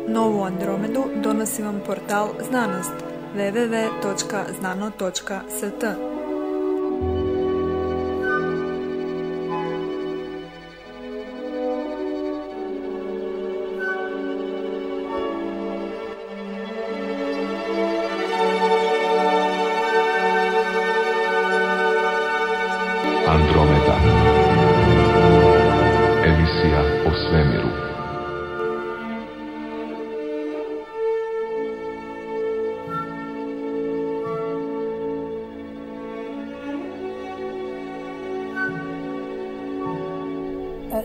Novu Andromedu donosi vam portal Znanost www.znano.st. Andromeda. Emisija o svemiru.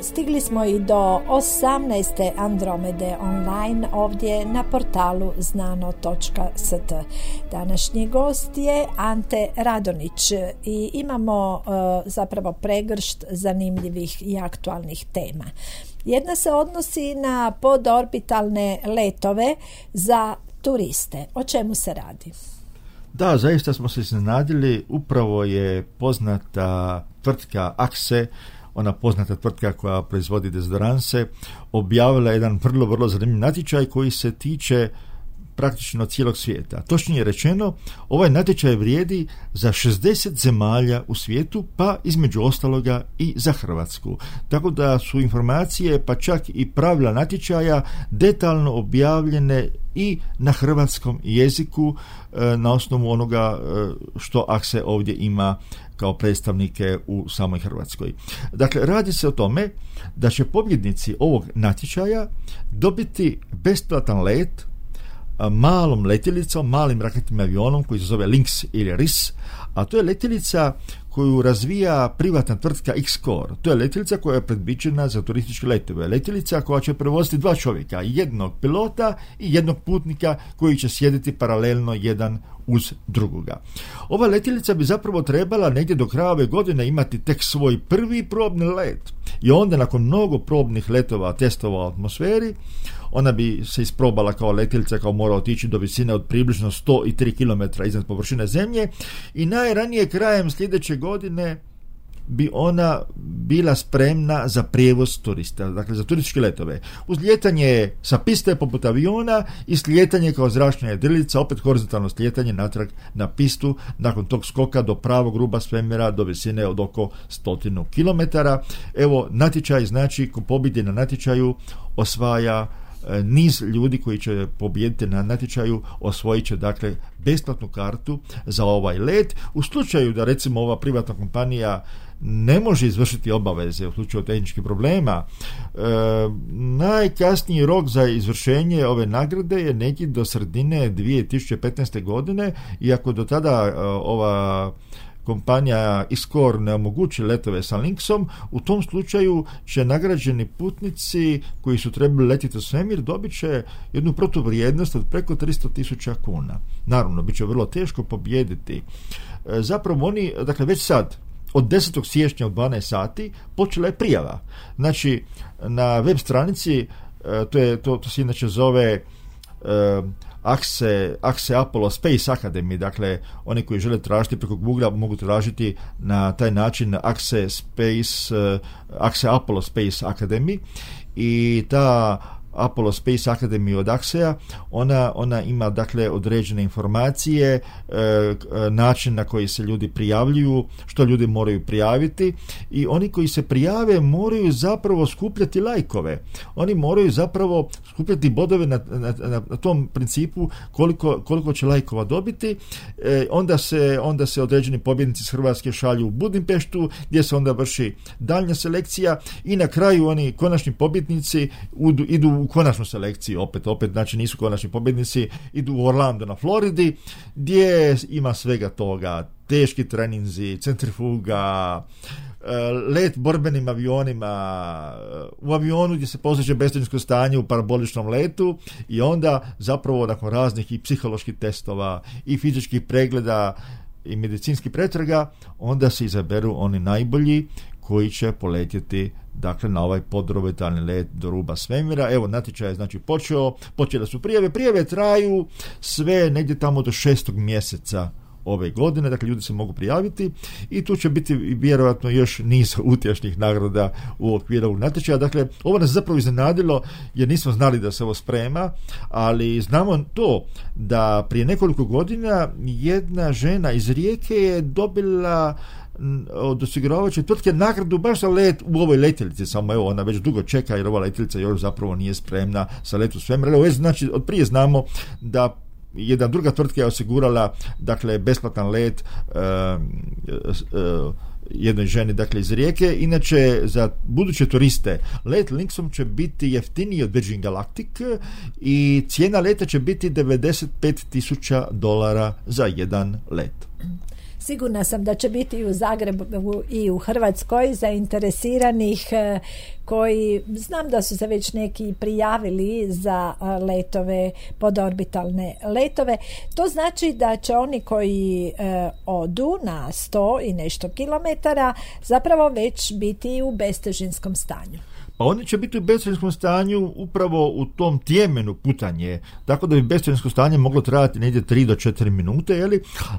Stigli smo i do 18. Andromede online ovdje na portalu znano.st. Današnji gost je Ante Radonić i imamo zapravo pregršt zanimljivih i aktualnih tema. Jedna se odnosi na podorbitalne letove za turiste. O čemu se radi? Da, zaista smo se iznenadili. Upravo je poznata tvrtka Axe, ona poznata tvrtka koja proizvodi dezodoranse, objavila jedan vrlo zanimljiv natječaj koji se tiče praktično cijelog svijeta. Točnije rečeno, ovaj natječaj vrijedi za 60 zemalja u svijetu, pa između ostaloga i za Hrvatsku. Tako da su informacije, pa čak i pravila natječaja detaljno objavljene i na hrvatskom jeziku na osnovu onoga što Axe ovdje ima kao predstavnike u samoj Hrvatskoj. Dakle, radi se o tome da će pobjednici ovog natječaja dobiti besplatan let malom letjelicom, malim raketnim avionom koji se zove Lynx ili RIS, a to je letjelica koju razvija privatna tvrtka X-Core. To je letjelica koja je predviđena za turističke letove. Letjelica koja će prevoziti 2 čovjeka, jednog pilota i jednog putnika koji će sjediti paralelno jedan uz drugoga. Ova letjelica bi zapravo trebala negdje do kraja ove godine imati tek svoj prvi probni let i onda nakon mnogo probnih letova, testova u atmosferi, ona bi se isprobala kao letjelica, kao mora otići do visine od približno 103 km iznad površine zemlje i najranije krajem sljedeće godine bi ona bila spremna za prijevoz turista, dakle za turističke letove. Uz lijetanje sa piste poput aviona i slijetanje kao zračna jedrilica, opet horizontalno slijetanje natrag na pistu, nakon tog skoka do pravog ruba svemira do visine od oko 100 km. Evo, natječaj znači ko pobjedi na natječaju osvaja niz ljudi koji će pobijediti na natječaju, osvojit će dakle besplatnu kartu za ovaj let. U slučaju da recimo ova privatna kompanija ne može izvršiti obaveze u slučaju tehničkih problema, najkasniji rok za izvršenje ove nagrade je negdje do sredine 2015. godine, iako do tada ova kompanija X-Core ne omogući letove sa Lynxom, u tom slučaju će nagrađeni putnici koji su trebali letiti u svemir dobit će jednu protuvrijednost od preko 300.000 kuna. Naravno, bit će vrlo teško pobijediti. Zapravo oni, dakle već sad, od 10. siječnja u 12 sati počela je prijava. Znači, na web stranici, to se inače zove Axe Apollo Space Academy, dakle oni koji žele tražiti preko Google mogu tražiti na taj način Axe Apollo Space Academy i ta Apollo Space Academy od Axea, ona ima dakle određene informacije, način na koji se ljudi prijavljuju, što ljudi moraju prijaviti i oni koji se prijave moraju zapravo skupljati lajkove. Oni moraju zapravo skupljati bodove na tom principu koliko će lajkova dobiti. Onda se određeni pobjednici iz Hrvatske šalju u Budimpeštu gdje se onda vrši daljnja selekcija i na kraju oni konačni pobjednici idu u konačnu selekciju, opet, znači nisu konačni pobjednici, idu u Orlando na Floridi, gdje ima svega toga, teški treninzi, centrifuga, let borbenim avionima, u avionu gdje se postiže beztežinsko stanje u paraboličnom letu i onda zapravo nakon raznih i psiholoških testova i fizičkih pregleda i medicinskih pretraga, onda se izaberu oni najbolji koji će poletjeti dakle na ovaj podorbitalni let do ruba svemira. Evo, natječaj je znači počele su prijave traju sve negdje tamo do 6. mjeseca ove godine, dakle ljudi se mogu prijaviti i tu će biti vjerojatno još niz utješnih nagrada u okviru ovog natječaja. Dakle, ovo nas zapravo iznenadilo jer nismo znali da se ovo sprema, ali znamo to da prije nekoliko godina jedna žena iz Rijeke je dobila od osiguravajuće tvrtke nagradu baš za let u ovoj letjelici, samo evo ona već dugo čeka jer ova letjelica još zapravo nije spremna za let u svemir. Evo, znači od prije znamo da jedna druga tvrtka je osigurala dakle besplatan let jednoj ženi dakle iz Rijeke. Inače za buduće turiste let Linksom će biti jeftiniji od Virgin Galactic i cijena leta će biti $95,000 za jedan let. Sigurna sam da će biti i u Zagrebu i u Hrvatskoj zainteresiranih koji, znam da su se već neki prijavili za letove, podorbitalne letove. To znači da će oni koji odu na 100 i nešto kilometara zapravo već biti u bestežinskom stanju. Pa oni će biti u bestežinskom stanju upravo u tom tjemenu putanje, tako da bi bestežinsko stanje moglo trajati negdje 3 do 4 minute,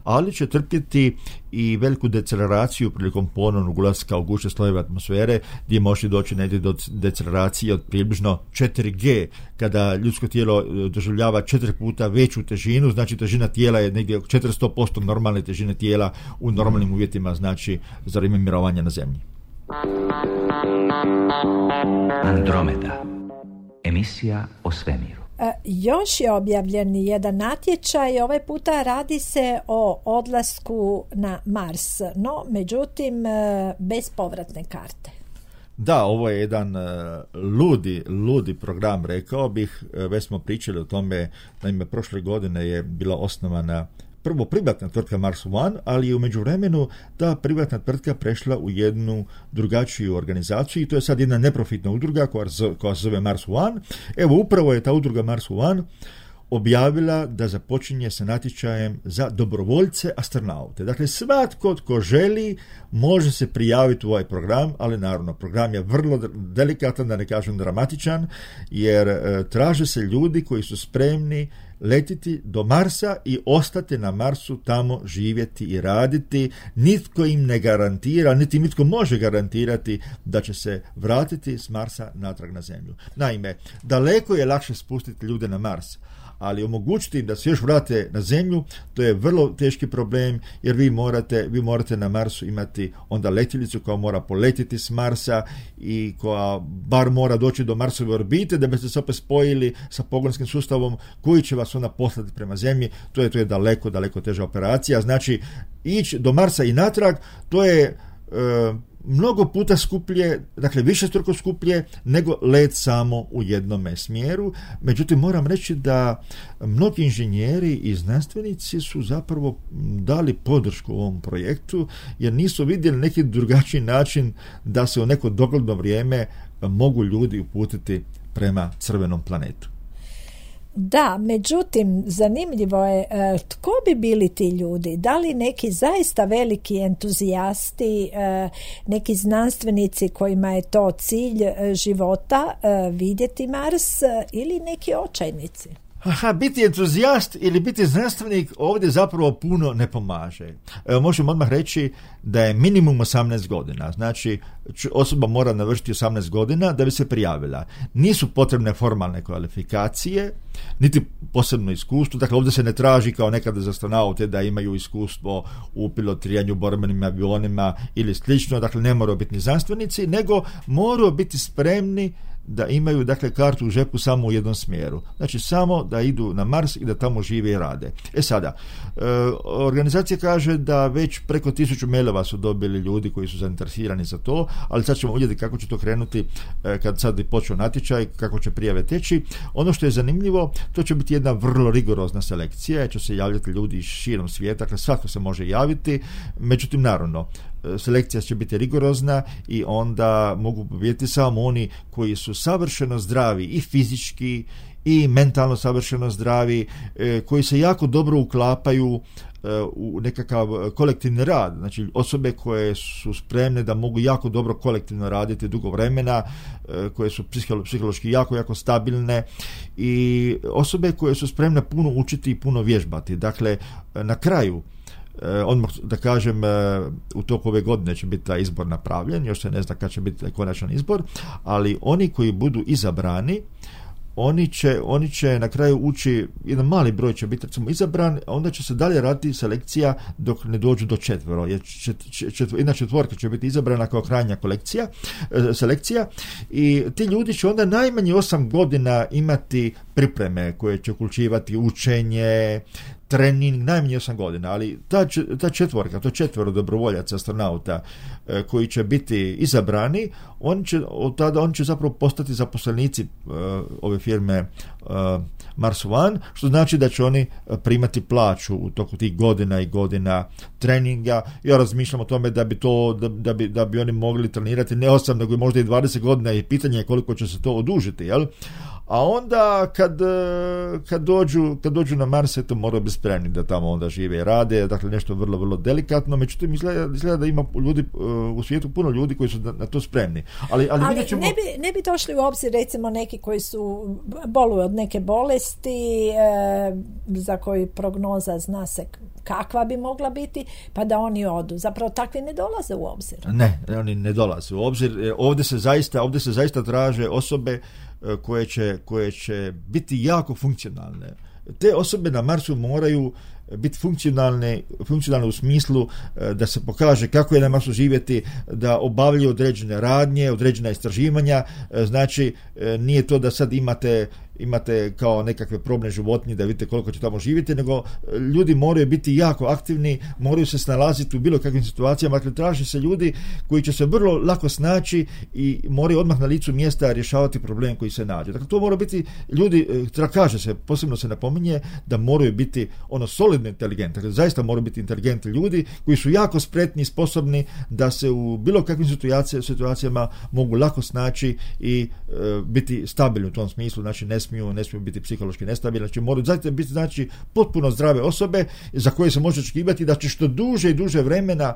ali će trpjeti i veliku deceleraciju prilikom ponovnog ulaska u gušće slojeve atmosfere, gdje može doći negdje do deceleracije od približno 4G, kada ljudsko tijelo doživljava 4 puta veću težinu, znači težina tijela je negdje 400% normalne težine tijela u normalnim uvjetima, znači za vrijeme mirovanja na zemlji. Andromeda. Emisija o svemiru. Još je objavljen jedan natječaj, ovaj puta radi se o odlasku na Mars, no međutim bez povratne karte. Da, ovo je jedan ludi program, rekao bih. Već smo pričali o tome, naime prošle godine je bila osnovana prvo privatna tvrtka Mars One, ali je u međuvremenu ta privatna tvrtka prešla u jednu drugačiju organizaciju i to je sad jedna neprofitna udruga koja se zove Mars One. Evo, upravo je ta udruga Mars One objavila da započinje sa natječajem za dobrovoljce astronaute. Dakle, svatko tko želi može se prijaviti u ovaj program, ali naravno program je vrlo delikatan, da ne kažem dramatičan, jer traže se ljudi koji su spremni letiti do Marsa i ostati na Marsu, tamo živjeti i raditi. Nitko im ne garantira, niti nitko može garantirati da će se vratiti s Marsa natrag na Zemlju. Naime, daleko je lakše spustiti ljude na Mars, ali omogućiti im da se još vrate na Zemlju, to je vrlo teški problem, jer vi morate na Marsu imati onda letjelicu koja mora poletiti s Marsa i koja bar mora doći do Marsove orbite da biste se opet spojili sa pogonskim sustavom koji će vas onda poslati prema Zemlji. To je daleko teža operacija. Znači, ići do Marsa i natrag, to je mnogo puta skuplje, dakle višestruko skuplje nego let samo u jednome smjeru. Međutim, moram reći da mnogi inženjeri i znanstvenici su zapravo dali podršku ovom projektu, jer nisu vidjeli neki drugačiji način da se u neko dogledno vrijeme mogu ljudi uputiti prema crvenom planetu. Da, međutim, zanimljivo je tko bi bili ti ljudi? Da li neki zaista veliki entuzijasti, neki znanstvenici kojima je to cilj života, vidjeti Mars, ili neki očajnici? Biti entuzijast ili biti znanstvenik ovdje zapravo puno ne pomaže. Možemo odmah reći da je minimum 18 godina. Znači, osoba mora navršiti 18 godina da bi se prijavila. Nisu potrebne formalne kvalifikacije, niti posebno iskustvo. Dakle, ovdje se ne traži kao nekada za astronaute da imaju iskustvo u pilotiranju borbenim avionima ili slično. Dakle, ne moraju biti ni znanstvenici, nego moraju biti spremni da imaju, dakle, kartu u žepu samo u jednom smjeru. Znači, samo da idu na Mars i da tamo žive i rade. Sada, organizacija kaže da već preko 1000 mailova su dobili ljudi koji su zainteresirani za to, ali sad ćemo vidjeti kako će to krenuti kad sad počne natječaj, kako će prijave teći. Ono što je zanimljivo, to će biti jedna vrlo rigorozna selekcija, će se javljati ljudi iz širom svijeta, dakle svatko se može javiti, međutim, naravno, selekcija će biti rigorozna i onda mogu pobijediti samo oni koji su savršeno zdravi i fizički i mentalno savršeno zdravi, koji se jako dobro uklapaju u nekakav kolektivni rad. Znači, osobe koje su spremne da mogu jako dobro kolektivno raditi dugo vremena, koje su psihološki jako stabilne, i osobe koje su spremne puno učiti i puno vježbati. Dakle, na kraju odmah da kažem, u toku ove godine će biti taj izbor napravljen, još se ne zna kad će biti konačan izbor, ali oni koji budu izabrani, oni će na kraju ući, jedan mali broj će biti recimo izabran, a onda će se dalje raditi selekcija dok ne dođu do četvero, jer jedna četvorka će biti izabrana kao krajnja selekcija i ti ljudi će onda najmanje 8 godina imati pripreme koje će uključivati učenje, trening, najmanje 8 godina, ali ta četvorka, to 4 dobrovoljaca astronauta koji će biti izabrani, oni će zapravo postati zaposlenici ove firme Mars One, što znači da će oni primati plaću u toku tih godina i godina treninga. Ja razmišljam o tome da bi oni mogli trenirati ne 8, nego možda i 20 godina i pitanje je koliko će se to odužiti, jel? A onda kad dođu na Mars, to moraju biti spremni da tamo onda žive i rade, dakle nešto vrlo, vrlo delikatno, međutim izgleda da ima ljudi u svijetu puno ljudi koji su na to spremni. Ali ćemo... ne bi došli u obzir recimo neki koji su boluju od neke bolesti za koju prognoza zna se kakva bi mogla biti, pa da oni odu. Zapravo takvi ne dolaze u obzir. Ne, oni ne dolaze u obzir. Ovdje se zaista traže osobe koje će biti jako funkcionalne. Te osobe na Marsu moraju biti funkcionalne u smislu da se pokaže kako je na Marsu živjeti, da obavljaju određene radnje, određena istraživanja. Znači, nije to da sad imate kao nekakve probne životinje da vidite koliko će tamo živjeti, nego ljudi moraju biti jako aktivni, moraju se snalaziti u bilo kakvim situacijama, dakle traži se ljudi koji će se vrlo lako snaći i moraju odmah na licu mjesta rješavati problem koji se nađe. Dakle, to moraju biti ljudi, kaže se, posebno se napominje da moraju biti solidno inteligentni, dakle zaista moraju biti inteligentni ljudi koji su jako spretni i sposobni da se u bilo kakvim situacijama mogu lako snaći i biti stabilni u tom smislu, znači ne smiju biti psihološki nestabilni, znači moraju zaista biti potpuno zdrave osobe za koje se može očekivati da će što duže i duže vremena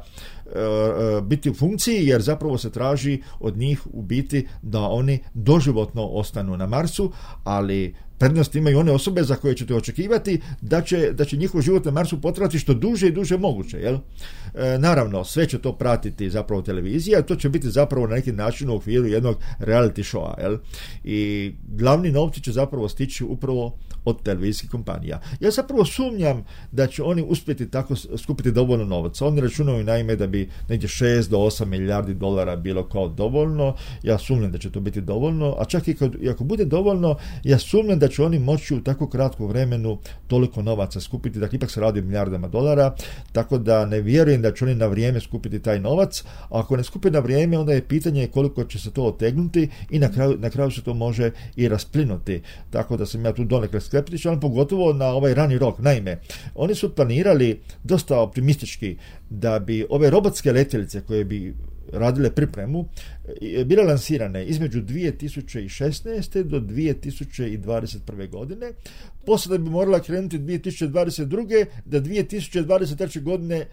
biti u funkciji, jer zapravo se traži od njih u biti da oni doživotno ostanu na Marsu, ali prednost imaju one osobe za koje ćete očekivati da će njihov život na Marsu potrajati što duže i duže moguće, jel? Naravno, sve će to pratiti zapravo televizija, a to će biti zapravo na neki način u okviru jednog reality showa, jel? I glavni novci će zapravo stići upravo od televizijskih kompanija. Ja zapravo sumnjam da će oni uspjeti tako skupiti dovoljno novaca. Oni računaju naime da bi negdje 6 do 8 milijardi dolara bilo kao dovoljno. Ja sumnjam da će to biti dovoljno, a čak i ako bude dovoljno, ja sumnjam da će oni moći u tako kratkom vremenu toliko novaca skupiti, dakle ipak se radi o milijardama dolara, tako da ne vjerujem da će oni na vrijeme skupiti taj novac, a ako ne skupi na vrijeme, onda je pitanje koliko će se to otegnuti i na kraju se to može i rasplinuti. Tako da sam ja tu donekle skeptičan, pogotovo na ovaj rani rok. Naime, oni su planirali dosta optimistički da bi ove robotske letjelice koje bi radile pripremu bile lansirane između 2016. do 2021. godine. Poslije da bi morala krenuti 2022. da 2023. godine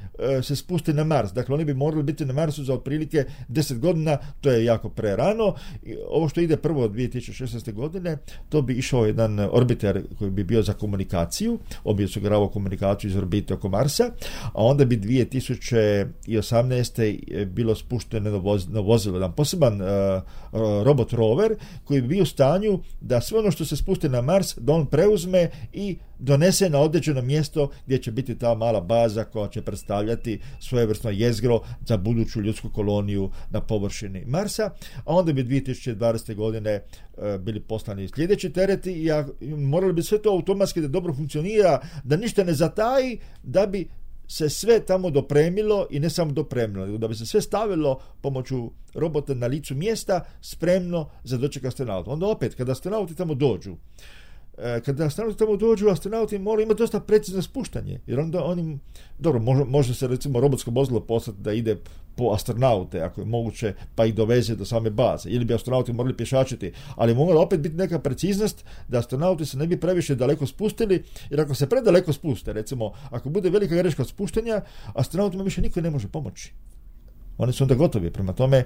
se spusti na Mars. Dakle, oni bi morali biti na Marsu za otprilike 10 godina, to je jako prerano. Ovo što ide prvo od 2016. godine, to bi išao jedan orbiter koji bi bio za komunikaciju, on bi osiguravao komunikaciju iz orbite oko Marsa, a onda bi 2018. bilo spušteno na vozilo, jedan poseban robot rover koji bi bio u stanju da sve ono što se spusti na Mars, da on preuzme i donese na određeno mjesto gdje će biti ta mala baza koja će predstavljati svojevrsno jezgro za buduću ljudsku koloniju na površini Marsa, a onda bi 2020. godine bili poslani sljedeći tereti i morali bi sve to automatski da dobro funkcionira, da ništa ne zataji, da bi se sve tamo dopremilo i ne samo dopremilo, nego da bi se sve stavilo pomoću robota na licu mjesta spremno za doček astronauta. Onda opet, kada astronauti tamo dođu, astronauti moraju imati dosta precizno spuštanje, jer onda oni, dobro, može se recimo robotsko vozilo poslati da ide po astronaute, ako je moguće, pa ih doveze do same baze, ili bi astronauti morali pješačiti, ali mora opet biti neka preciznost da astronauti se ne bi previše daleko spustili, jer ako se predaleko spuste, recimo, ako bude velika greška od spuštanja, astronautima više niko ne može pomoći. Oni su onda gotovi, prema tome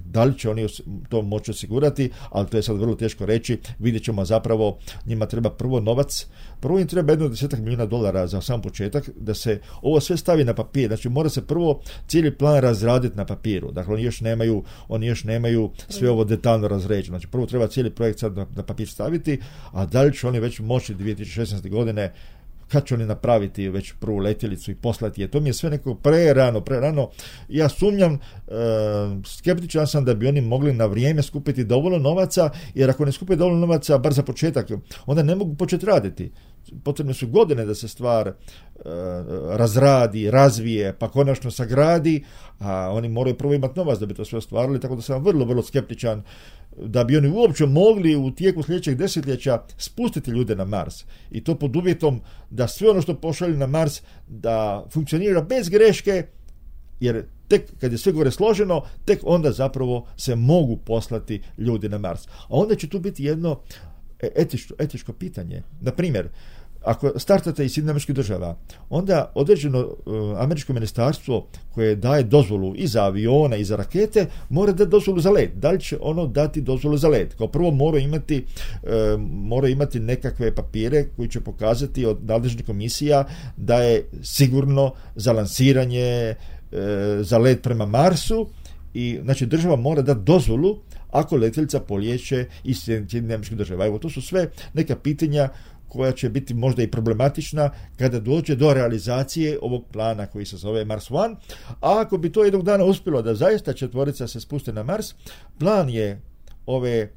Da li će oni to moći osigurati, ali to je sad vrlo teško reći. Vidjet ćemo, zapravo njima treba prvo novac, prvo im treba $10 milijuna za sam početak, da se ovo sve stavi na papir. Znači mora se prvo cijeli plan razraditi na papiru. Dakle, oni još nemaju sve ovo detaljno razređeno. Znači prvo treba cijeli projekt sad na papir staviti, a da li će oni već moći 2016. godine, kad će oni napraviti već prvu letjelicu i poslati je. To mi je sve neko prerano. Ja sumnjam, skeptičan sam da bi oni mogli na vrijeme skupiti dovoljno novaca, jer ako ne skupe dovoljno novaca, bar za početak, onda ne mogu početi raditi. Potrebne su godine da se stvar razradi, razvije, pa konačno sagradi, a oni moraju prvo imati novac da bi to sve ostvarili, tako da sam vrlo, vrlo skeptičan da bi oni uopće mogli u tijeku sljedećeg desetljeća spustiti ljude na Mars. I to pod uvjetom da sve ono što pošalju na Mars da funkcionira bez greške, jer tek kad je sve gore složeno, tek onda zapravo se mogu poslati ljudi na Mars. A onda će tu biti jedno etičko pitanje. Na primjer, ako startate iz SAD-a, onda određeno američko ministarstvo koje daje dozvolu i za avione i za rakete mora dati dozvolu za let. Da li će ono dati dozvolu za let? Kao prvo mora imati nekakve papire koji će pokazati od nadležnih komisija da je sigurno za lansiranje za let prema Marsu, i znači država mora dati dozvolu ako letjelica polijeće iz SAD-a. Evo, to su sve neka pitanja koja će biti možda i problematična kada dođe do realizacije ovog plana koji se zove Mars One. A ako bi to jednog dana uspjelo da zaista četvorica se spuste na Mars, plan je ove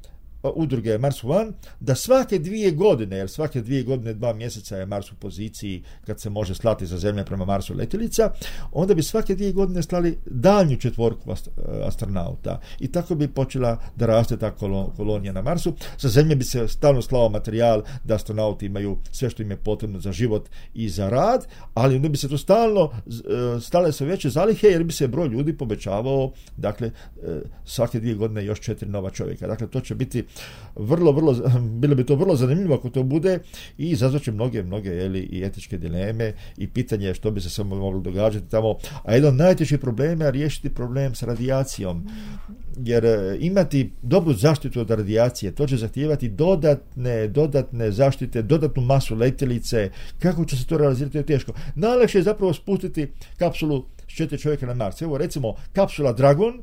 udruge Mars One da svake 2 godine, jer svake 2 godine 2 mjeseca je Mars u poziciji kad se može slati za Zemlje prema Marsu letjelica, onda bi svake 2 godine slali daljnju četvorku astronauta i tako bi počela da raste ta kolonija na Marsu. Sa Zemlje bi se stalno slao materijal da astronauti imaju sve što im je potrebno za život i za rad, ali onda bi se to stale sve veće zalihe, jer bi se broj ljudi povećavao, dakle svake 2 godine još 4 nova čovjeka. Dakle, to će biti bilo bi to vrlo zanimljivo ako to bude i izazvaće mnoge i etičke dileme i pitanje što bi se samo moglo događati tamo. A jedan od najtežih problema je riješiti problem s radijacijom, jer imati dobru zaštitu od radijacije, to će zahtijevati dodatne zaštite, dodatnu masu letjelice. Kako će se to realizirati, je teško. Najlakše je zapravo spustiti kapsulu s 4 čovjeka na Mars. Evo recimo kapsula Dragon,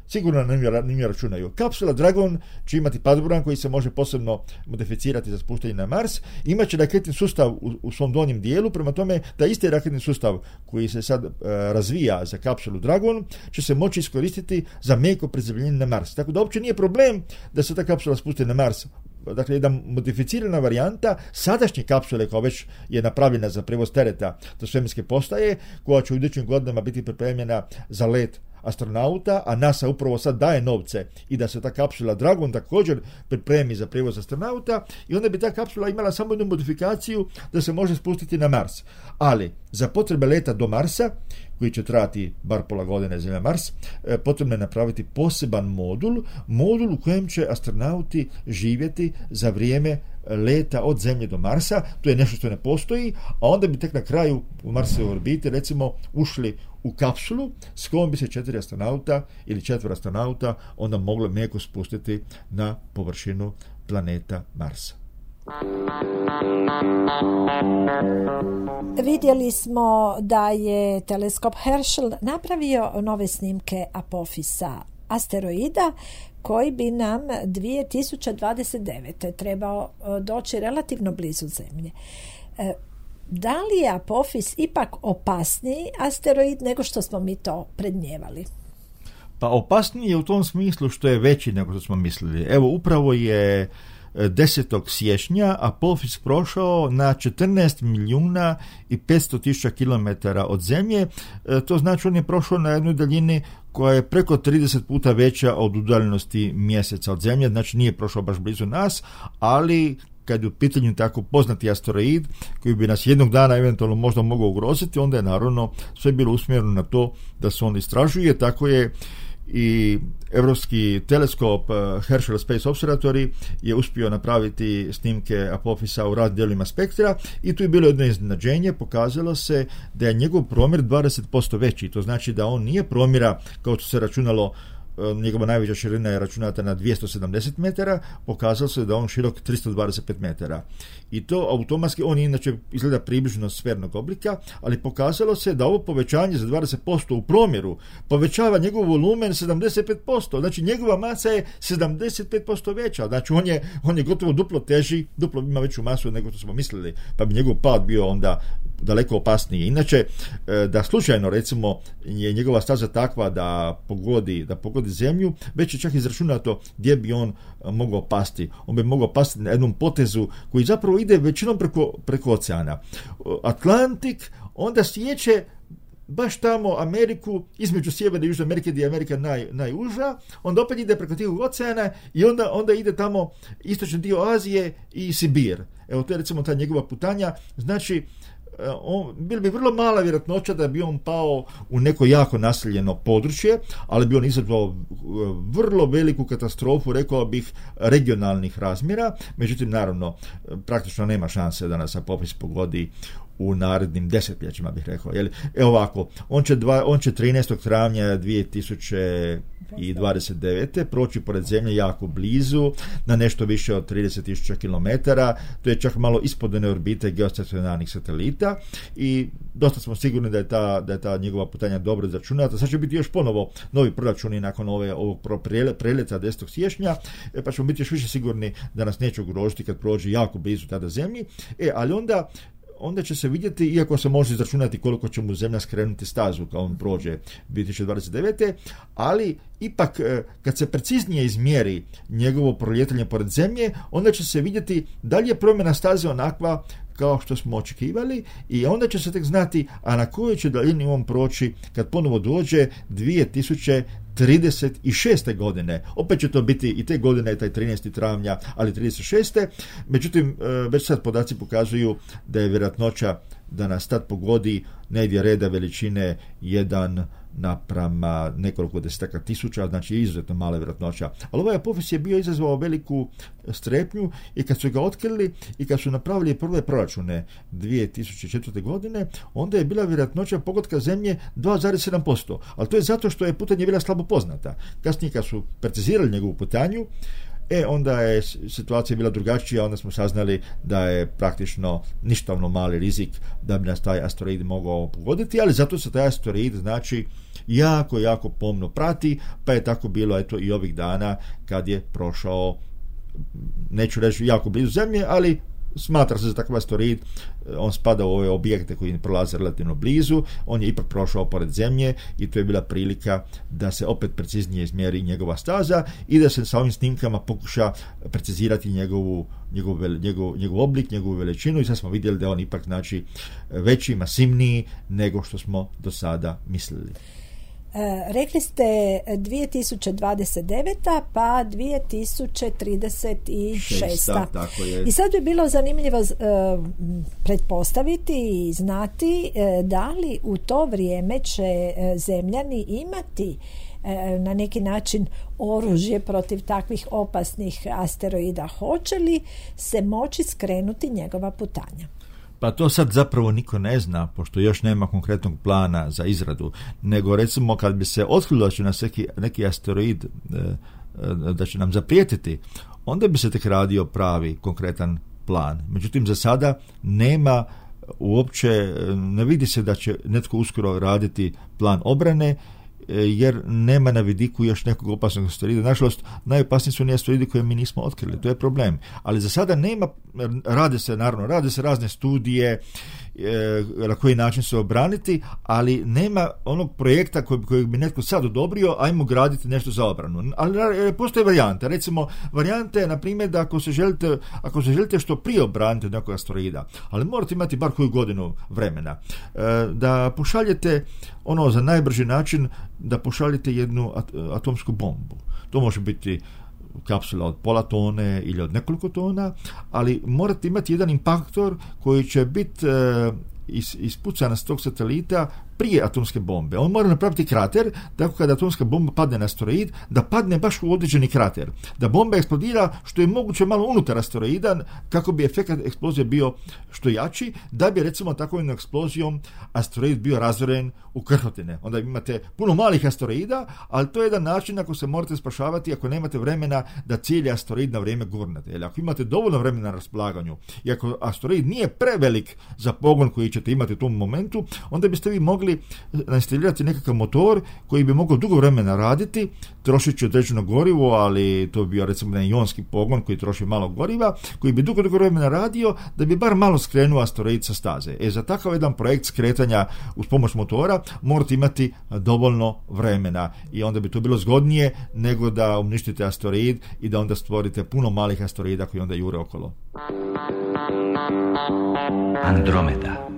sigurno ne računaju. Kapsula Dragon će imati padoburan koji se može posebno modificirati za spuštanje na Mars. Imaće raketni sustav u svom donjem dijelu, prema tome da isti raketni sustav koji se sad razvija za kapsulu Dragon će se moći iskoristiti za meko prizemljenje na Mars. Tako da uopće nije problem da se ta kapsula spusti na Mars. Dakle, jedna modificirana varijanta sadašnje kapsule koja već je napravljena za prevoz tereta do svemirske postaje, koja će u idućim godinama biti pripremljena za let astronauta, a NASA upravo sad daje novce i da se ta kapsula Dragon također pripremi za prijevoz astronauta, i onda bi ta kapsula imala samo jednu modifikaciju da se može spustiti na Mars. Ali za potrebe leta do Marsa, koji će trajati bar pola godine Zemlja Mars, potrebno je napraviti poseban modul u kojem će astronauti živjeti za vrijeme leta od Zemlje do Marsa. To je nešto što ne postoji, a onda bi tek na kraju u Marsove orbite recimo ušli u kapsulu s kojom bi se 4 astronauta ili 4 astronauta onda moglo meko spustiti na površinu planeta Marsa. Vidjeli smo da je teleskop Herschel napravio nove snimke Apophisa, asteroida koji bi nam 2029. trebao doći relativno blizu Zemlje. Da li je Apophis ipak opasniji asteroid nego što smo mi to predmnijevali? Pa opasniji je u tom smislu što je veći nego što smo mislili. Evo, upravo je 10. siječnja Apophis prošao na 14.500.000 kilometara od Zemlje. To znači on je prošao na jednoj daljini koja je preko 30 puta veća od udaljenosti Mjeseca od Zemlje, znači nije prošao baš blizu nas, ali kad je u pitanju tako poznati asteroid koji bi nas jednog dana eventualno možda mogao ugroziti, onda je naravno sve bilo usmjereno na to da se on istražuje. Tako je i Europski teleskop Herschel Space Observatory je uspio napraviti snimke Apophisa u raznim dijelovima spektra i tu je bilo jedno iznenađenje. Pokazalo se da je njegov promjer 20% veći. To znači da on nije promjera kao što se računalo njegova najveća širina je računata na 270 metara, pokazalo se da on širok 325 metara. I to automatski, on inače izgleda približno sfernog oblika, ali pokazalo se da ovo povećanje za 20% u promjeru povećava njegov volumen 75%, znači njegova masa je 75% veća, znači on je gotovo duplo teži, duplo ima veću masu nego što smo mislili, pa bi njegov pad bio onda daleko opasniji. Inače, da slučajno recimo je njegova staza takva da pogodi zemlju, već je čak izračunato gdje bi on mogao pasti. On bi mogao pasti na jednom potezu koji zapravo ide većinom preko oceana. Atlantik onda sječe baš tamo Ameriku, između sjeverne i južne Amerike, gdje je Amerika najuža, onda opet ide preko tih oceana i onda ide tamo istočni dio Azije i Sibir. Evo, to je recimo ta njegova putanja. Znači, bilo bi vrlo mala vjerojatnoća da bi on pao u neko jako naseljeno područje, ali bi on izazvao vrlo veliku katastrofu, rekao bih, regionalnih razmjera. Međutim, naravno, praktično nema šanse da nas sa popis pogodi u narednim desetljećima, bih rekao. Evo ovako, on će 13. travnja 2029. proći pored zemlje jako blizu, na nešto više od 30.000 km, to je čak malo ispod one orbite geostacionarnih satelita i dosta smo sigurni da je ta njegova putanja dobro izračunata. Sad će biti još ponovo novi proračuni nakon ovog preleta 10. siječnja, pa ćemo biti još više sigurni da nas neće ugrožiti kad prođe jako blizu tada zemlji, ali onda će se vidjeti, iako se može izračunati koliko će mu zemlja skrenuti stazu kao on prođe 2029. Ali ipak kad se preciznije izmjeri njegovo prolijetanje pored zemlje, onda će se vidjeti da li je promjena staze onakva kao što smo očekivali i onda će se tek znati, a na kojoj će daljini on proći kad ponovo dođe 2036. godine. Opet će to biti i te godine, taj 13. travnja, ali 36. Međutim, već sad podaci pokazuju da je vjerojatnoća da nas tad pogodi negdje reda veličine 1 naprama nekoliko desetaka tisuća, znači izuzetno mala vjerojatnoća. Ali ovaj Apophis je bio izazvao veliku strepnju i kad su ga otkrili i kad su napravili prve proračune 2004. godine, onda je bila vjerojatnoća pogotka zemlje 2,7%. Ali to je zato što je putanje bila slabo poznata. Kasnije kad su precizirali njegovu putanju, onda je situacija bila drugačija, onda smo saznali da je praktično ništavno mali rizik da bi nas taj asteroid mogao pogoditi, ali zato se taj asteroid znači jako, jako pomno prati, pa je tako bilo eto i ovih dana kad je prošao, neću reći jako blizu zemlje, ali smatra se za takav asteroid, on spada u ove objekte koji prolaze relativno blizu, on je ipak prošao pored zemlje i to je bila prilika da se opet preciznije izmjeri njegova staza i da se sa ovim snimkama pokuša precizirati njegov oblik, njegovu veličinu i sad smo vidjeli da on ipak znači veći, masivniji nego što smo do sada mislili. Rekli ste 2029. pa 2036. Tako je. I sad bi bilo zanimljivo pretpostaviti i znati da li u to vrijeme će zemljani imati na neki način oružje protiv takvih opasnih asteroida. Hoće li se moći skrenuti njegova putanja? Pa to sad zapravo niko ne zna, pošto još nema konkretnog plana za izradu, nego recimo kad bi se otkrilo da će nas neki asteroid da će nam zaprijetiti, onda bi se tek radio pravi konkretan plan. Međutim, za sada nema uopće, ne vidi se da će netko uskoro raditi plan obrane, jer nema na vidiku još nekog opasnog asteroida. Nažalost, najopasniji su oni asteroidi koje mi nismo otkrili, to je problem. Ali za sada nema, rade se razne studije na koji način se obraniti, ali nema onog projekta kojeg bi netko sad odobrio, ajmo graditi nešto za obranu. Ali postoje varijante. Recimo, varijante je, na primjer, da ako se želite što prije obraniti od nekog asteroida, ali morate imati bar koju godinu vremena, da pošaljete za najbrži način, da pošaljete jednu atomsku bombu. To može biti kapsula od pola tone ili od nekoliko tona, ali morate imati jedan impaktor koji će biti ispucana s tog satelita prije atomske bombe. On mora napraviti krater, tako kada atomska bomba padne na asteroid, da padne baš u određeni krater. Da bomba eksplodira što je moguće malo unutar asteroida, kako bi efekt eksplozije bio što jači, da bi recimo takvom eksplozijom asteroid bio razoren u krhotine. Onda imate puno malih asteroida, ali to je jedan način ako se morate spašavati, ako nemate vremena da cijeli asteroid na vrijeme gurnete. Jer ako imate dovoljno vremena na raspolaganju i ako asteroid nije prevelik za pogon koji ćete imati u tom momentu, onda biste vi mogli instalirati nekakav motor koji bi mogao dugo vremena raditi, trošit će određeno gorivo, ali to bi bio recimo jedan ionski pogon koji troši malo goriva, koji bi dugo vremena radio da bi bar malo skrenuo asteroid sa staze. Za takav jedan projekt skretanja uz pomoć motora morate imati dovoljno vremena i onda bi to bilo zgodnije nego da uništite asteroid i da onda stvorite puno malih asteroida koji onda jure okolo. Andromeda.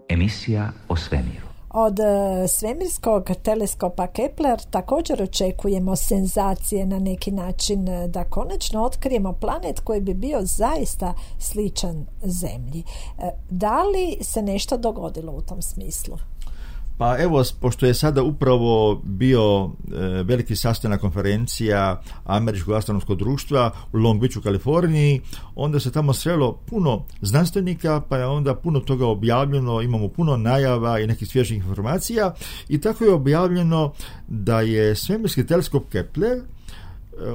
Emisija o svemiru. Od svemirskog teleskopa Kepler također očekujemo senzacije na neki način, da konačno otkrijemo planet koji bi bio zaista sličan Zemlji. Da li se nešto dogodilo u tom smislu? Pa evo, pošto je sada upravo bio veliki sastanak konferencija Američkog astronomskog društva u Long Beachu, Kaliforniji, onda se tamo srelo puno znanstvenika, pa je onda puno toga objavljeno, imamo puno najava i nekih svježih informacija i tako je objavljeno da je svemirski teleskop Kepler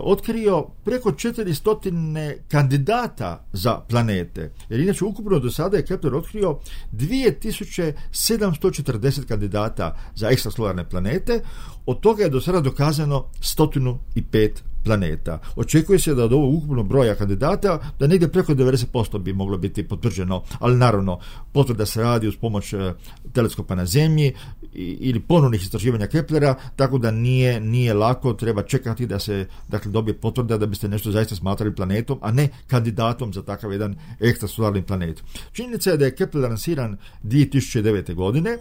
otkrio preko 400 kandidata za planete. Jer inače ukupno do sada je Kepler otkrio 2740 kandidata za ekstrasolarne planete. Od toga je do sada dokazano 105 planeta. Očekuje se da od ovog ukupnog broja kandidata da negdje preko 90% bi moglo biti potvrđeno, ali naravno potvrda se radi uz pomoć teleskopa na Zemlji ili ponovnih istraživanja Keplera, tako da nije lako, treba čekati da se dobije potvrda da biste nešto zaista smatrali planetom, a ne kandidatom za takav jedan ekstrasolarni planet. Činjenica je da je Kepler lansiran 2009. godine.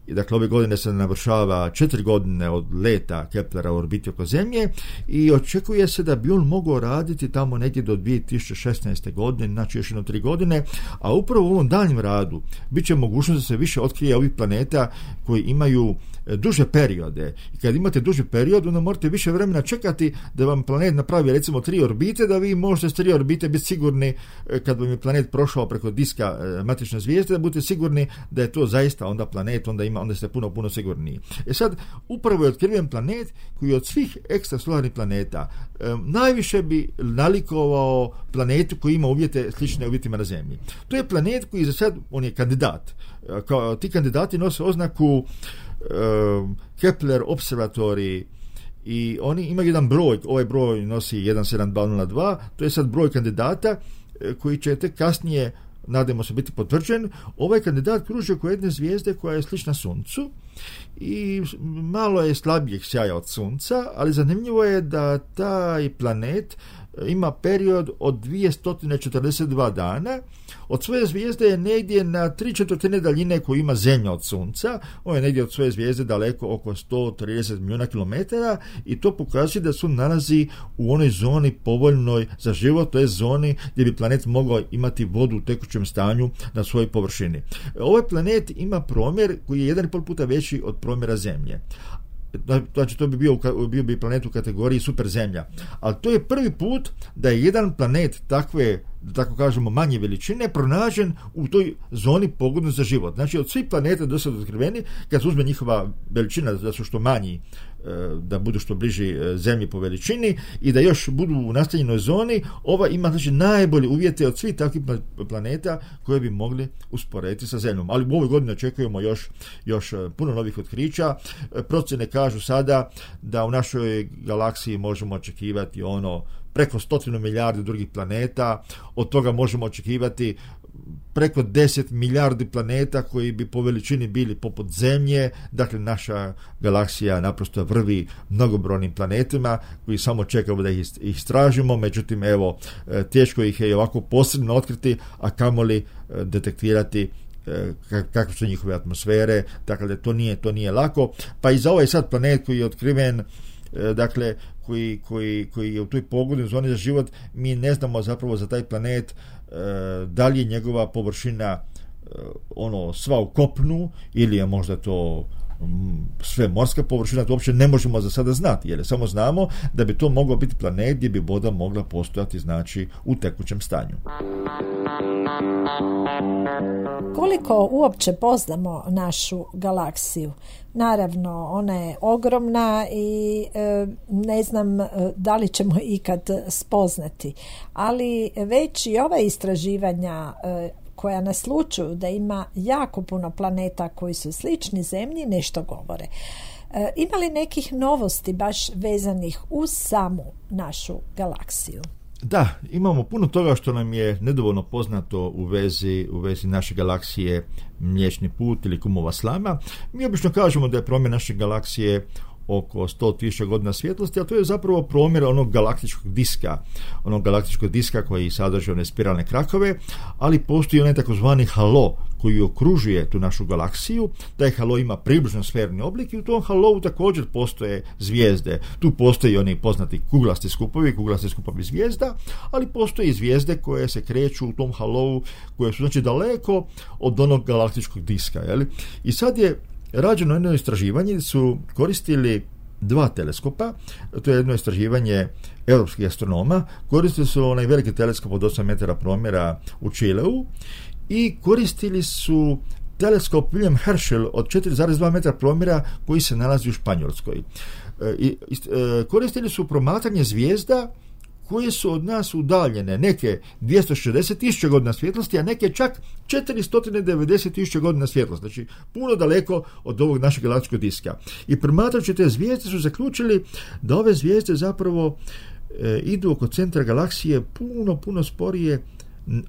I dakle, ove godine se navršava 4 godine od leta Keplera u orbiti oko Zemlje i očekuje se da bi on mogao raditi tamo negdje do 2016. godine, znači još jedno 3 godine, a upravo u ovom daljnjem radu bit će mogućnost da se više otkrije ovih planeta koji imaju duže periode. I kad imate duži period, onda morate više vremena čekati da vam planet napravi recimo 3 orbite, da vi možete s 3 orbite biti sigurni kad vam je planet prošao preko diska matične zvijezde, da budete sigurni da je to zaista onda planet, onda ste puno sigurniji. Sad, upravo je otkriven planet koji od svih ekstrasolarnih planeta najviše bi nalikovao planetu koji ima uvjete slične uvjetima na Zemlji. To je planet koji za sad, on je kandidat. Ti kandidati nose oznaku Kepler Observatory i oni imaju jedan broj, ovaj broj nosi 17202, to je sad broj kandidata koji će tek kasnije, nadamo se, biti potvrđen. Ovaj kandidat kruži oko jedne zvijezde koja je slična Suncu i malo je slabijeg sjaja od Sunca, ali zanimljivo je da taj planet ima period od 242 dana. Od svoje zvijezde je negdje na 3/4 daljine koju ima Zemlja od Sunca. On je negdje od svoje zvijezde daleko oko 130 milijuna kilometara i to pokazuje da se on nalazi u onoj zoni povoljnoj za život, to je zoni gdje bi planet mogao imati vodu u tekućem stanju na svojoj površini. Ovaj planet ima promjer koji je 1,5 puta veći od promjera Zemlje. Znači to bi bio bi planet u kategoriji super Zemlja. Ali to je prvi put da je jedan planet takve, da tako kažemo, manje veličine pronađen u toj zoni pogodnoj za život. Znači od svih planeta do sada otkriveni, kad se uzme njihova veličina da su što manji, da budu što bliži Zemlji po veličini i da još budu u nastanjenoj zoni, ova ima znači najbolje uvjete od svih takvih planeta koje bi mogli usporediti sa Zemljom. Ali u ovoj godini očekujemo još puno novih otkrića. Procjene kažu sada da u našoj galaksiji možemo očekivati preko 100 milijardi drugih planeta, od toga možemo očekivati preko 10 milijardi planeta koji bi po veličini bili poput Zemlje. Dakle, naša galaksija naprosto vrvi mnogobrojnim planetima koji samo čekamo da ih istražimo, međutim, evo, teško ih je ovako posebno otkriti, a kamoli detektirati kakve su njihove atmosfere, dakle da to nije lako. Pa i za ovaj sad planet koji je otkriven, dakle koji je u toj pogodnoj zoni za život, mi ne znamo zapravo za taj planet da li je njegova površina sva u kopnu ili je možda to sve morska površina, to uopće ne možemo za sada znati, jer samo znamo da bi to moglo biti planet gdje bi voda mogla postojati, znači, u tekućem stanju. Koliko uopće poznamo našu galaksiju? Naravno, ona je ogromna i ne znam da li ćemo ikad spoznati, ali već i ova istraživanja koja naslučuju da ima jako puno planeta koji su slični Zemlji nešto govore. Ima li nekih novosti baš vezanih uz samu našu galaksiju? Da, imamo puno toga što nam je nedovoljno poznato u vezi naše galaksije Mliječni put ili Kumova slama. Mi obično kažemo da je promjer naše galaksije oko 100.000 godina svjetlosti, a to je zapravo promjer onog galaktičkog diska koji sadrži one spiralne krakove, ali postoji onaj takozvani halo koji okružuje tu našu galaksiju. Taj halo ima približno sferni oblik i u tom halovu također postoje zvijezde. Tu postoji oni poznati kuglasti skupovi zvijezda, ali postoje i zvijezde koje se kreću u tom halovu, koje su znači daleko od onog galaktičkog diska. Jeli? I sad je rađeno jedno istraživanje, su koristili 2 teleskopa, to je jedno istraživanje europskih astronoma, koristili su onaj veliki teleskop od 8 metara promjera u Čileu i koristili su teleskop William Herschel od 4,2 metra promjera koji se nalazi u Španjolskoj. Koristili su promatranje zvijezda koje su od nas udaljene, neke 260.000 godina svjetlosti, a neke čak 490.000 godina svjetlosti, znači puno daleko od ovog našeg galaktičkog diska. I promatrajući te zvijezde su zaključili da ove zvijezde zapravo idu oko centra galaksije puno sporije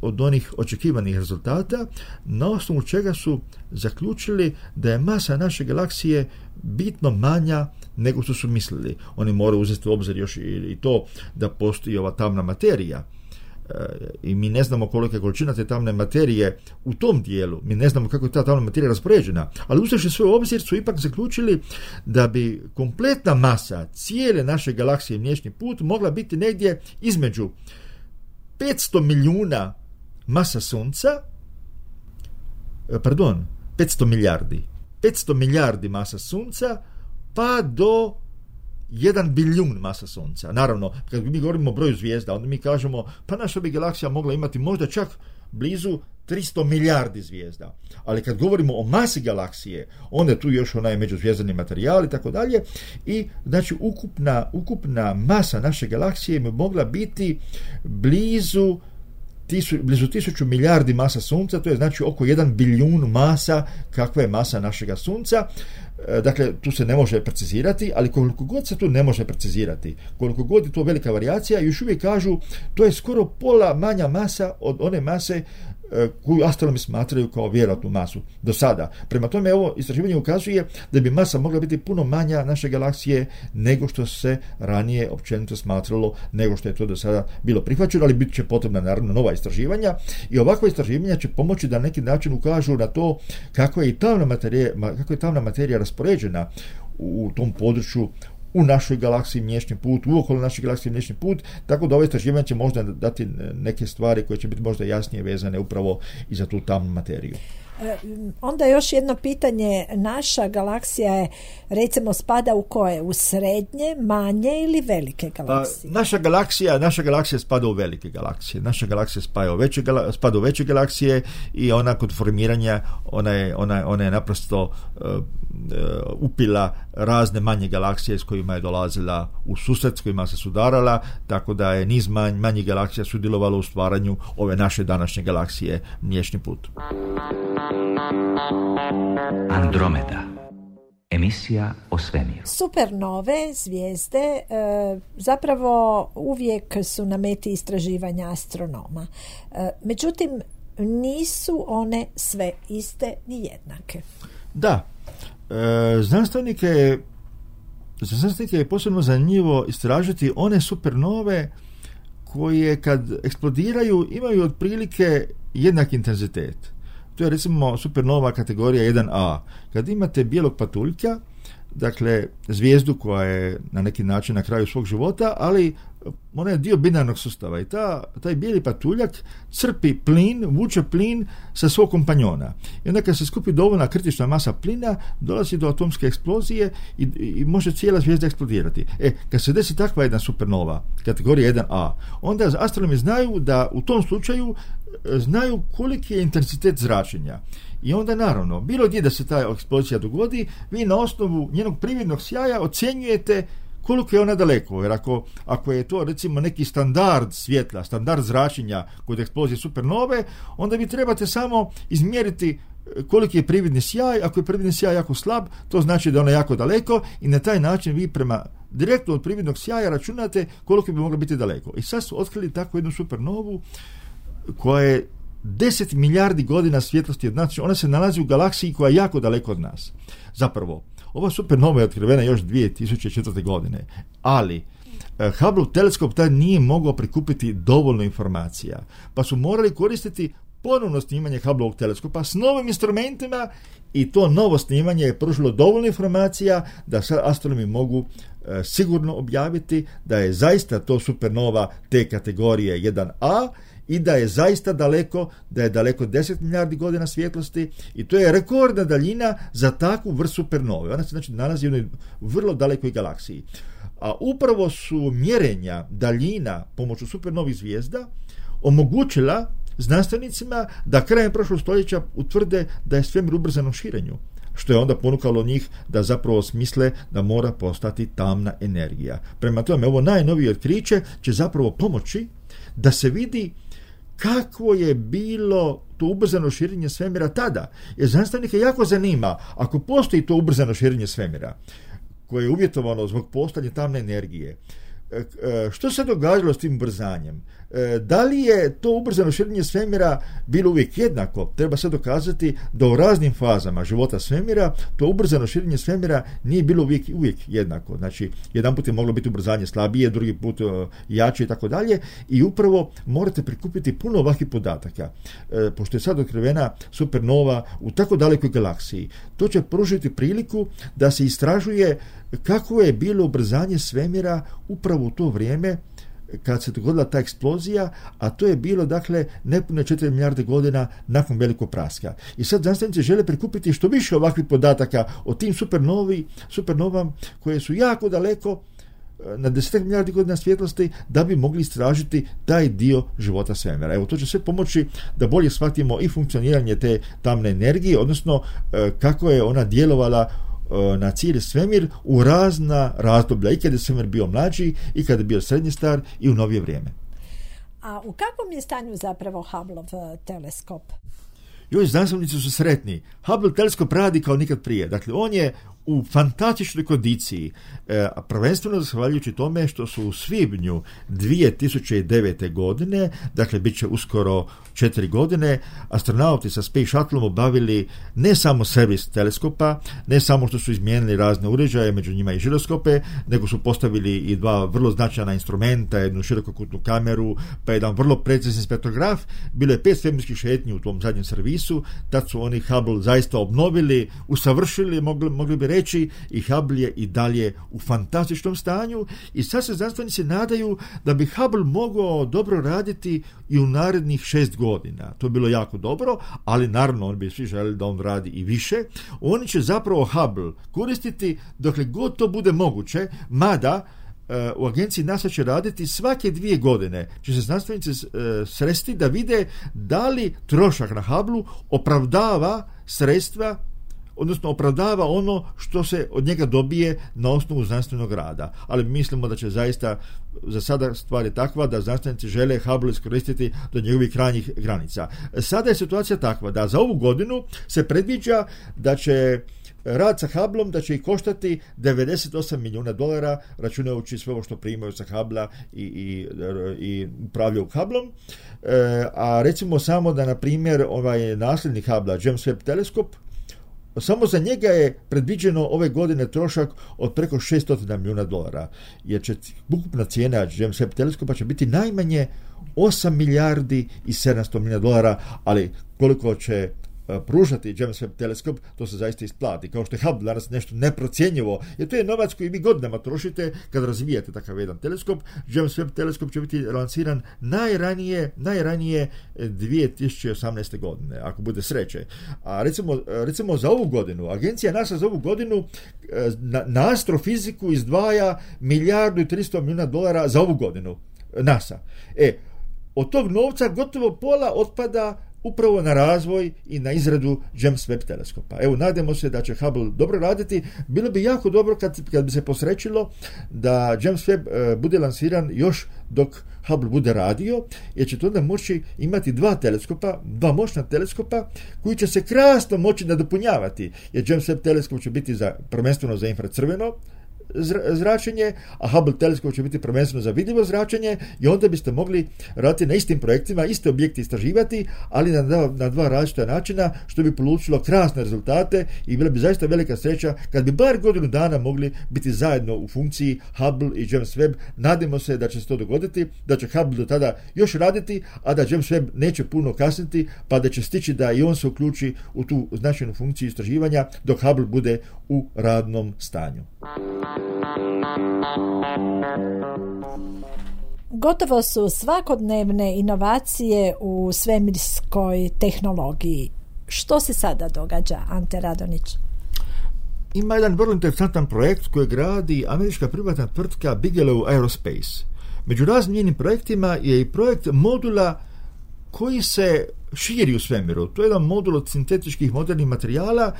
od onih očekivanih rezultata, na osnovu čega su zaključili da je masa naše galaksije bitno manja nego što su mislili. Oni moraju uzeti u obzir još i to da postoji ova tamna materija. I mi ne znamo kolika je količina te tamne materije u tom dijelu, mi ne znamo kako je ta tamna materija raspoređena, ali uzevši sve u obzir su ipak zaključili da bi kompletna masa cijele naše galaksije Mliječni put mogla biti negdje između 500 milijuna masa Sunca, 500 milijardi masa Sunca, pa do 1 bilijun masa Sunca. Naravno, kad mi govorimo o broju zvijezda, onda mi kažemo, pa naša bi galaksija mogla imati možda čak blizu 300 milijardi zvijezda. Ali kad govorimo o masi galaksije, onda je tu još onaj međuzvijezdani materijal i tako dalje. I znači ukupna masa naše galaksije bi mogla biti blizu 1000 milijardi masa Sunca, to je znači oko 1 bilijun masa kakva je masa našega Sunca. Dakle, tu se ne može precizirati, ali koliko god se tu ne može precizirati, koliko god je to velika varijacija, još uvijek kažu to je skoro pola manja masa od one mase koju astronomi smatraju kao vjerojatnu masu do sada. Prema tome, ovo istraživanje ukazuje da bi masa mogla biti puno manja naše galaksije nego što se ranije općenito smatralo, nego što je to do sada bilo prihvaćeno, ali bit će potrebna naravno nova istraživanja i ovakva istraživanja će pomoći da na neki način ukažu na to kako je tamna materija raspoređena u tom području u našoj galaksiji Mliječni put, u okolo naše galaksije Mliječni put, tako da ovo istraživanje će možda dati neke stvari koje će biti možda jasnije vezane upravo i za tu tamnu materiju. Onda još jedno pitanje, naša galaksija je, recimo, spada u koje? U srednje, manje ili velike galaksije? Naša galaksija spada u velike galaksije. Naša galaksija spada u veće galaksije i ona kod formiranja ona je naprosto upila razne manje galaksije s kojima je dolazila u susret, s kojima se sudarala, tako da je niz manjih galaksija sudjelovalo u stvaranju ove naše današnje galaksije Mliječni put. Andromeda. Emisija o svemiru. Supernove zvijezde zapravo uvijek su na meti istraživanja astronoma. Međutim, nisu one sve iste ni jednake. Da. Znanstvenike je posebno zanimljivo istražiti one supernove koje kad eksplodiraju imaju otprilike jednak intenzitet. To je recimo supernova kategorija 1A. Kad imate bijelog patuljka, dakle zvijezdu koja je na neki način na kraju svog života, ali ona je dio binarnog sustava i taj bijeli patuljak crpi plin, vuče plin sa svog kompanjona. I onda kad se skupi dovoljna kritična masa plina, dolazi do atomske eksplozije i može cijela zvijezda eksplodirati. Kad se desi takva jedna supernova, kategorija 1A, onda astronomi znaju da u tom slučaju znaju koliki je intenzitet zračenja. I onda naravno, bilo gdje da se ta eksplozija dogodi, vi na osnovu njenog prividnog sjaja ocjenjujete koliko je ona daleko, jer ako je to recimo neki standard svjetla, standard zračenja kod eksplozije supernove, onda vi trebate samo izmjeriti koliki je prividni sjaj. Ako je prividni sjaj jako slab, to znači da je ona jako daleko i na taj način vi prema direktno od prividnog sjaja računate koliko bi moglo biti daleko. I sad su otkrili takvu jednu supernovu koja je 10 milijardi godina svjetlosti od nas. Ona se nalazi u galaksiji koja je jako daleko od nas. Zapravo, ova supernova je otkrivena još 2004. godine, ali Hubble teleskop tad nije mogao prikupiti dovoljno informacija, pa su morali koristiti ponovno snimanje Hubbleovog teleskopa s novim instrumentima i to novo snimanje je pružilo dovoljno informacija da sad astronomi mogu sigurno objaviti da je zaista to supernova te kategorije 1A i da je zaista daleko, da je daleko 10 milijardi godina svjetlosti i to je rekordna daljina za takvu vrstu supernove. Ona se znači nalazi u jednoj vrlo dalekoj galaksiji. A upravo su mjerenja daljina pomoću supernovih zvijezda omogućila znanstvenicima da krajem prošlog stoljeća utvrde da je svemir u ubrzanom širenju, što je onda ponukalo njih da zapravo smisle da mora postati tamna energija. Prema tome, ovo najnovije otkriće će zapravo pomoći da se vidi kakvo je bilo to ubrzano širenje svemira tada. Jer znanstvenike jako zanima, ako postoji to ubrzano širenje svemira, koje je uvjetovano zbog postojanja tamne energije, što se događalo s tim ubrzanjem? Da li je to ubrzano širenje svemira bilo uvijek jednako? Treba se dokazati da u raznim fazama života svemira to ubrzano širenje svemira nije bilo uvijek jednako. Znači, jedan put je moglo biti ubrzanje slabije, drugi put jače i tako dalje. I upravo morate prikupiti puno ovakvih podataka. Pošto je sad otkrivena supernova u tako dalekoj galaksiji, to će pružiti priliku da se istražuje kako je bilo ubrzanje svemira upravo u to vrijeme kad se dogodila ta eksplozija, a to je bilo dakle nepune 4 milijarde godina nakon velikog praska. I sad znanstvenici žele prikupiti što više ovakvih podataka o tim supernovama koje su jako daleko na 10 milijardi godina svjetlosti da bi mogli istražiti taj dio života svemira. Evo, to će sve pomoći da bolje shvatimo i funkcioniranje te tamne energije, odnosno kako je ona djelovala na cijeli svemir u razna razdoblja, i kada je svemir bio mlađi, i kada je bio srednje star, i u novije vrijeme. A u kakvom je stanju zapravo Hubbleov teleskop? Još znanstvenici su sretni. Hubble teleskop radi kao nikad prije. Dakle, on je u fantastičnoj kondiciji, prvenstveno zahvaljujući tome što su u svibnju 2009. godine, dakle bit će uskoro 4 godine, astronauti sa Space Shuttleom obavili ne samo servis teleskopa, ne samo što su izmijenili razne uređaje, među njima i žiroskope, nego su postavili i 2 vrlo značajna instrumenta, jednu širokokutnu kameru, pa jedan vrlo precizni spektrograf. Bilo je 5 svemirskih šetnji u tom zadnjem servisu. Tad su oni Hubble zaista obnovili, usavršili, mogli bi reći, i Hubble je i dalje u fantastičnom stanju i sad se znanstvenici nadaju da bi Hubble mogao dobro raditi i u narednih 6 godina. To je bilo jako dobro, ali naravno oni bi svi željeli da on radi i više. Oni će zapravo Hubble koristiti dokle god to bude moguće, mada u agenciji NASA će raditi svake 2 godine. Će se znanstvenici sresti da vide da li trošak na Hubble opravdava sredstva, odnosno opravdava ono što se od njega dobije na osnovu znanstvenog rada. Ali mislimo da će zaista za sada stvar je takva da znanstvenici žele Hubble iskoristiti do njegovih krajnjih granica. Sada je situacija takva da za ovu godinu se predviđa da će rad sa Hubbleom da će ih koštati $98 milijuna, računajući sve ovo što primaju sa Hubblea i upravljaju Hubbleom. A recimo samo da, na primjer, ovaj nasljednik Hubblea, James Webb teleskop, samo za njega je predviđeno ove godine trošak od preko $600 milijuna, jer će ukupna cijena James Webb teleskopa će biti najmanje 8 milijardi i 700 milijuna dolara, ali koliko će pružati James Webb teleskop, to se zaista isplati. Kao što je Hubble danas nešto neprocjenjivo, jer to je novac koji vi godinama trošite kad razvijate takav jedan teleskop. James Webb teleskop će biti lansiran najranije 2018. godine, ako bude sreće. A recimo za ovu godinu, agencija NASA za ovu godinu na astrofiziku izdvaja $1,3 milijuna za ovu godinu. NASA. Od tog novca gotovo pola otpada upravo na razvoj i na izradu James Webb teleskopa. Evo, nadamo se da će Hubble dobro raditi. Bilo bi jako dobro kad bi se posrećilo da James Webb bude lansiran još dok Hubble bude radio, jer će to onda moći imati dva moćna teleskopa koji će se krasno moći nadopunjavati, jer James Webb teleskop će biti prvenstveno za infracrveno zračenje, a Hubble teleskop će biti prvenstveno za vidljivo zračenje, i onda biste mogli raditi na istim projektima, iste objekte istraživati, ali na dva različita načina, što bi polučilo krasne rezultate i bila bi zaista velika sreća kad bi bar godinu dana mogli biti zajedno u funkciji Hubble i James Webb. Nadamo se da će se to dogoditi, da će Hubble do tada još raditi, a da James Webb neće puno kasniti, pa da će stići da i on se uključi u tu značajnu funkciju istraživanja dok Hubble bude u radnom stanju. Gotovo su svakodnevne inovacije u svemirskoj tehnologiji. Što se sada događa, Ante Radonić? Ima jedan vrlo interesantan projekt koji gradi američka privatna tvrtka Bigelow Aerospace. Među raznim njenim projektima je i projekt modula koji se širi u svemiru. To je jedan modul od sintetičkih modernih materijala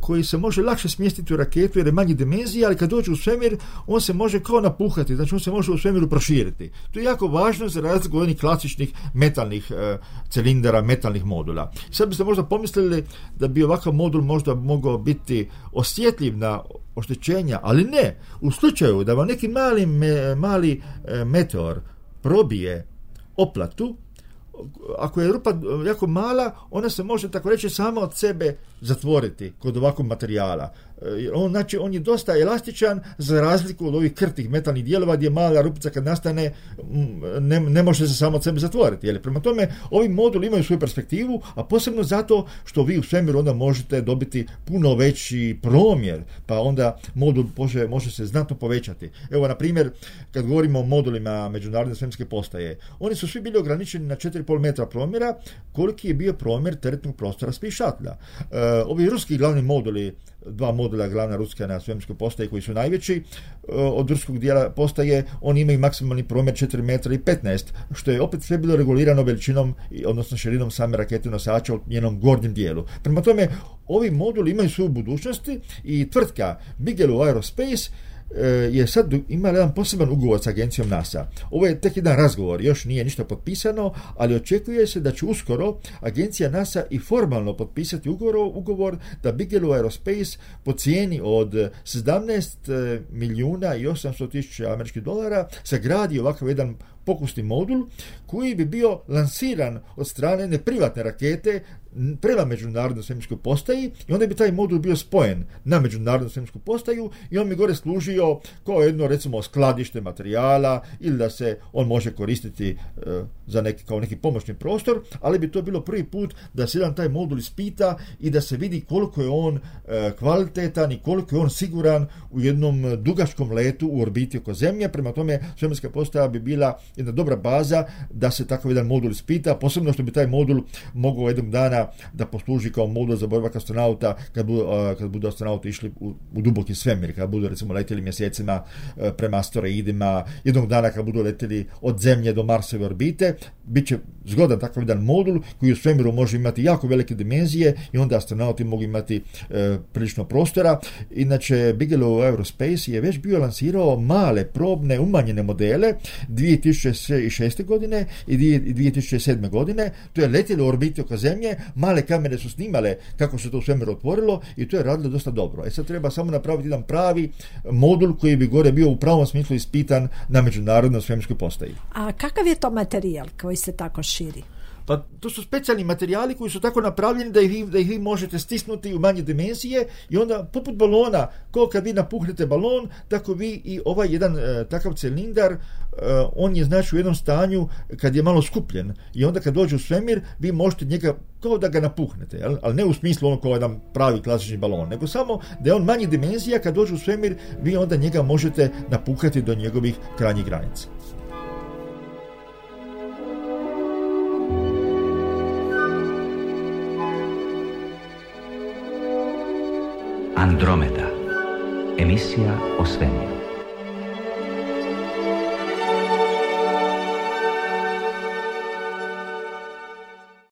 koji se može lakše smjestiti u raketu jer je manji dimenzija, ali kad dođe u svemir on se može kao napuhati, znači on se može u svemiru proširiti. To je jako važno za razliku od onih klasičnih metalnih cilindara, metalnih modula. Sad biste možda pomislili da bi ovakav modul možda mogao biti osjetljiv na oštećenja, ali ne. U slučaju da vam neki mali meteor probije oplatu, ako je rupa jako mala, ona se može, tako reći, sama od sebe zatvoriti kod ovakvog materijala. On je dosta elastičan za razliku od ovih krtih metalnih dijelova gdje mala rupica kad nastane ne može se samo od sebe zatvoriti. Prema tome, ovi moduli imaju svoju perspektivu, a posebno zato što vi u svemiru onda možete dobiti puno veći promjer, pa onda modul može se znatno povećati. Evo, na primjer, kad govorimo o modulima Međunarodne svemirske postaje, oni su svi bili ograničeni na 4,5 metra promjera, koliki je bio promjer teretnog prostora Space Shuttle. Ovi ruski glavni moduli, dva modula glavna ruska na svemirskoj postaji koji su najveći od ruskog dijela postaje, oni imaju maksimalni promjer 4 metra i 15, što je opet sve bilo regulirano veličinom, odnosno širinom same rakete nosača u njenom gornjem dijelu. Prema tome, ovi moduli imaju svoju budućnosti i tvrtka Bigelow Aerospace je sad imala jedan poseban ugovor s agencijom NASA. Ovo je tek jedan razgovor, još nije ništa potpisano, ali očekuje se da će uskoro agencija NASA i formalno potpisati ugovor da Bigelow Aerospace po cijeni od $17,800,000 sagradi ovakav jedan pokusni modul koji bi bio lansiran od strane jedne privatne rakete prema Međunarodnoj svemirskoj postaji i onda bi taj modul bio spojen na Međunarodnu svemirsku postaju i on bi gore služio kao jedno, recimo, skladište materijala ili da se on može koristiti kao neki pomoćni prostor, ali bi to bilo prvi put da se jedan taj modul ispita i da se vidi koliko je on kvalitetan i koliko je on siguran u jednom dugačkom letu u orbiti oko Zemlje. Prema tome, svemirska postaja bi bila jedna dobra baza da se takav jedan modul ispita, posebno što bi taj modul mogao jednog dana da posluži kao modul za boravak astronauta kad budu astronauti išli u duboki svemir, kad budu, recimo, letjeli mjesecima prema asteroidima, jednog dana kad budu letjeli od Zemlje do Marsove orbite, bit će zgodan takav jedan modul koji u svemiru može imati jako velike dimenzije i onda astronauti mogu imati prilično prostora. Inače, Bigelow Aerospace je već bio lansirao male, probne, umanjene modele 2006. godine i 2007. godine. To je letjelo u orbiti oko Zemlje, male kamere su snimale kako se to u svemiru otvorilo i to je radilo dosta dobro. Sad treba samo napraviti jedan pravi modul koji bi gore bio u pravom smislu ispitan na Međunarodnoj svemirskoj postaji. A kakav je to materijal koji se tako širi? Pa to su specijalni materijali koji su tako napravljeni da ih vi možete stisnuti u manje dimenzije i onda poput balona, kao kad vi napuhnete balon, tako vi i ovaj jedan takav cilindar, on je znači u jednom stanju kad je malo skupljen i onda kad dođe u svemir vi možete njega kao da ga napuhnete, ali ne u smislu ono kao jedan pravi klasični balon, nego samo da je on manje dimenzija, kad dođe u svemir vi onda njega možete napuhati do njegovih krajnjih granica. Andromeda. Emisija o svemiru.